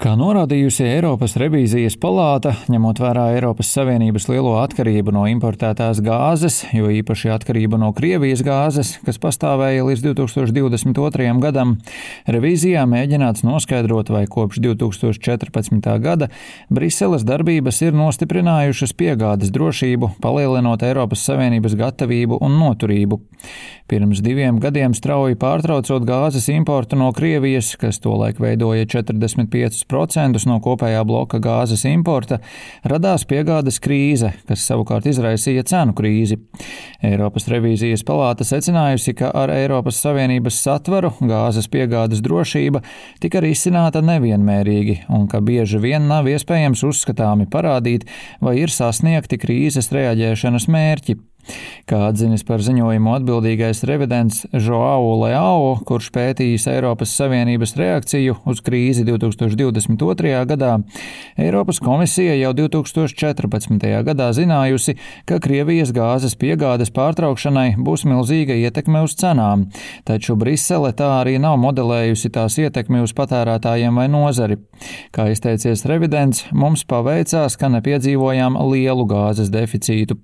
Kā norādījusi Eiropas revīzijas palāta, ņemot vērā Eiropas Savienības lielo atkarību no importētās gāzes, jo īpaši atkarību no Krievijas gāzes, kas pastāvēja līdz 2022. gadam, revīzijā mēģināts noskaidrot, vai kopš 2014. gada Briseles darbības ir nostiprinājušas piegādes drošību, palielinot Eiropas Savienības gatavību un noturību. Pirms 2 gadiem strauji pārtraucot gāzes importu no Krievijas, kas tolaik veidoja 45% no kopējā bloka gāzes importa, radās piegādes krīze, kas savukārt izraisīja cenu krīzi. Eiropas revīzijas palāta secinājusi, ka ar Eiropas Savienības satvaru gāzes piegādes drošība tika risināta nevienmērīgi un ka bieži vien nav iespējams uzskatāmi parādīt, vai ir sasniegti krīzes reaģēšanas mērķi. Kā atzinis par ziņojumu atbildīgais revidents Joao Leao, kurš pētījis Eiropas Savienības reakciju uz krīzi 2022. gadā, Eiropas komisija jau 2014. gadā zinājusi, ka Krievijas gāzes piegādes pārtraukšanai būs milzīga ietekme uz cenām, taču Brisele tā arī nav modelējusi tās ietekmi uz patērētājiem vai nozari. Kā izteicies revidents, mums paveicās, ka nepiedzīvojām lielu gāzes deficītu.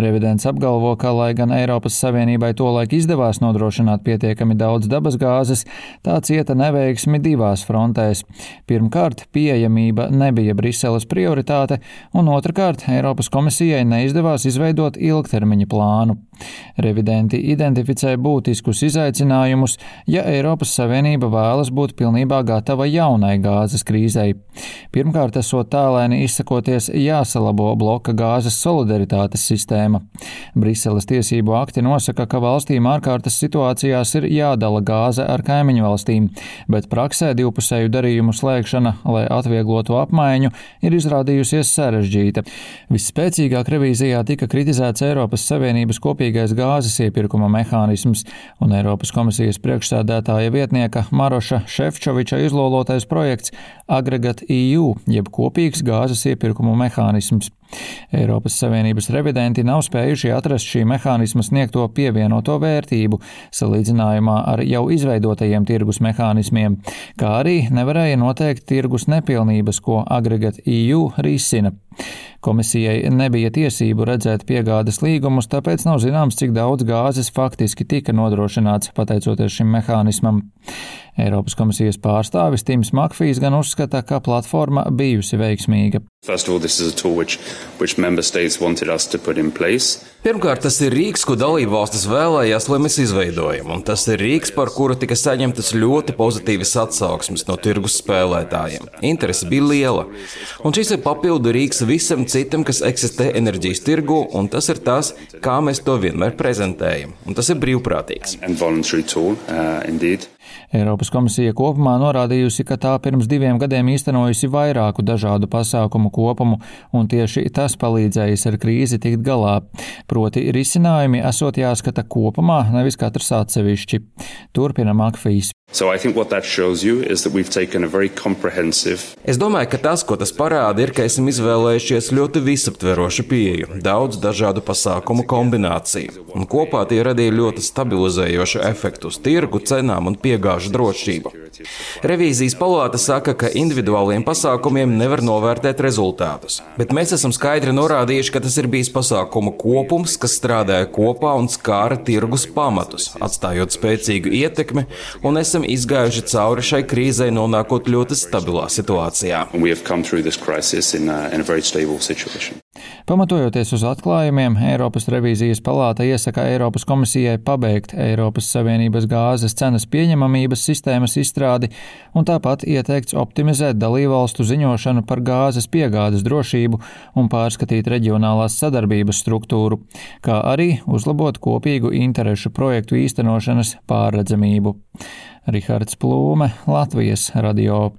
Revidents apgalvo, ka, lai gan Eiropas Savienībai tolaik izdevās nodrošināt pietiekami daudz dabas gāzes, tā cieta neveiksmi 2 frontēs. Pirmkārt, pieejamība nebija Briseles prioritāte, un otrkārt, Eiropas komisijai neizdevās izveidot ilgtermiņa plānu. Revidenti identificē būtiskus izaicinājumus, ja Eiropas Savienība vēlas būt pilnībā gatava jaunai gāzes krīzei. Pirmkārt, esot tālēni izsakoties, jāsalabo bloka gāzes solidaritātes sistēma. Briseles tiesību akti nosaka, ka valstīm ārkārtas situācijās ir jādala gāze ar kaimiņu valstīm, bet praksē divpusēju darījumu slēgšana, lai atvieglotu apmaiņu, ir izrādījusies sarežģīta. Visspēcīgāk revīzijā tika kritizēts Eiropas Savienības kopīgais gāzes iepirkuma mehānisms un Eiropas komisijas priekšsēdētāja vietnieka Maroša Šefčoviča izlolotais projekts Aggregate EU, jeb kopīgs gāzes iepirkumu mehānisms. Eiropas Savienības revidenti nav spējuši atrast šī mehānisma sniegto pievienoto vērtību salīdzinājumā ar jau izveidotajiem tirgus mehānismiem, kā arī nevarēja noteikt tirgus nepilnības, ko Aggregate EU risina. Komisijai nebija tiesību redzēt piegādes līgumus, tāpēc nav zināms, cik daudz gāzes faktiski tika nodrošināts pateicoties šim mehānismam. Eiropas komisijas pārstāvis Tims Makfijs gan uzskata, ka platforma bijusi veiksmīga. Pirmkārt, tas ir rīks, ko dalībvalstis vēlējās, lai mēs izveidojam, un tas ir rīks, par kuru tika saņemtas ļoti pozitīvas atsauksmes no tirgus spēlētājiem. Interese bija liela, un šis ir papildu rīks visam citam, kas eksistē enerģijas tirgu, un tas ir tas, kā mēs to vienmēr prezentējam, un tas ir brīvprātīgs. Eiropas komisija kopumā norādījusi, ka tā pirms 2 gadiem īstenojusi vairāku dažādu pasākumu kopumu, un tieši tas palīdzējis ar krīzi tikt galā. Proti risinājumi esot jāskata kopumā, nevis katrs atsevišķi. Turpina Makfijs. Es domāju, ka tas, ko tas parāda, ir, ka esam izvēlējušies ļoti visaptverošu pieeju, daudz dažādu pasākumu kombināciju, un kopā tie radīja ļoti stabilizējošu efektu uz tirgu, cenām un piegāžu drošību. Revīzijas palāta saka, ka individuāliem pasākumiem nevar novērtēt rezultātus, bet mēs esam skaidri norādījuši, ka tas ir bijis pasākumu kopums, kas strādāja kopā un skāra tirgus pamatus, atstājot spēcīgu ietekmi, un esam izgājuši cauri šai krīzei, nonākot ļoti stabilā situācijā. Pamatojoties uz atklājumiem, Eiropas revīzijas palāta iesaka Eiropas komisijai pabeigt Eiropas Savienības gāzes cenas pieņemamības sistēmas izstrādi un tāpat ieteikts optimizēt dalībvalstu ziņošanu par gāzes piegādes drošību un pārskatīt reģionālās sadarbības struktūru, kā arī uzlabot kopīgu interešu projektu īstenošanas pārredzamību. Rihards Plūme, Latvijas radio.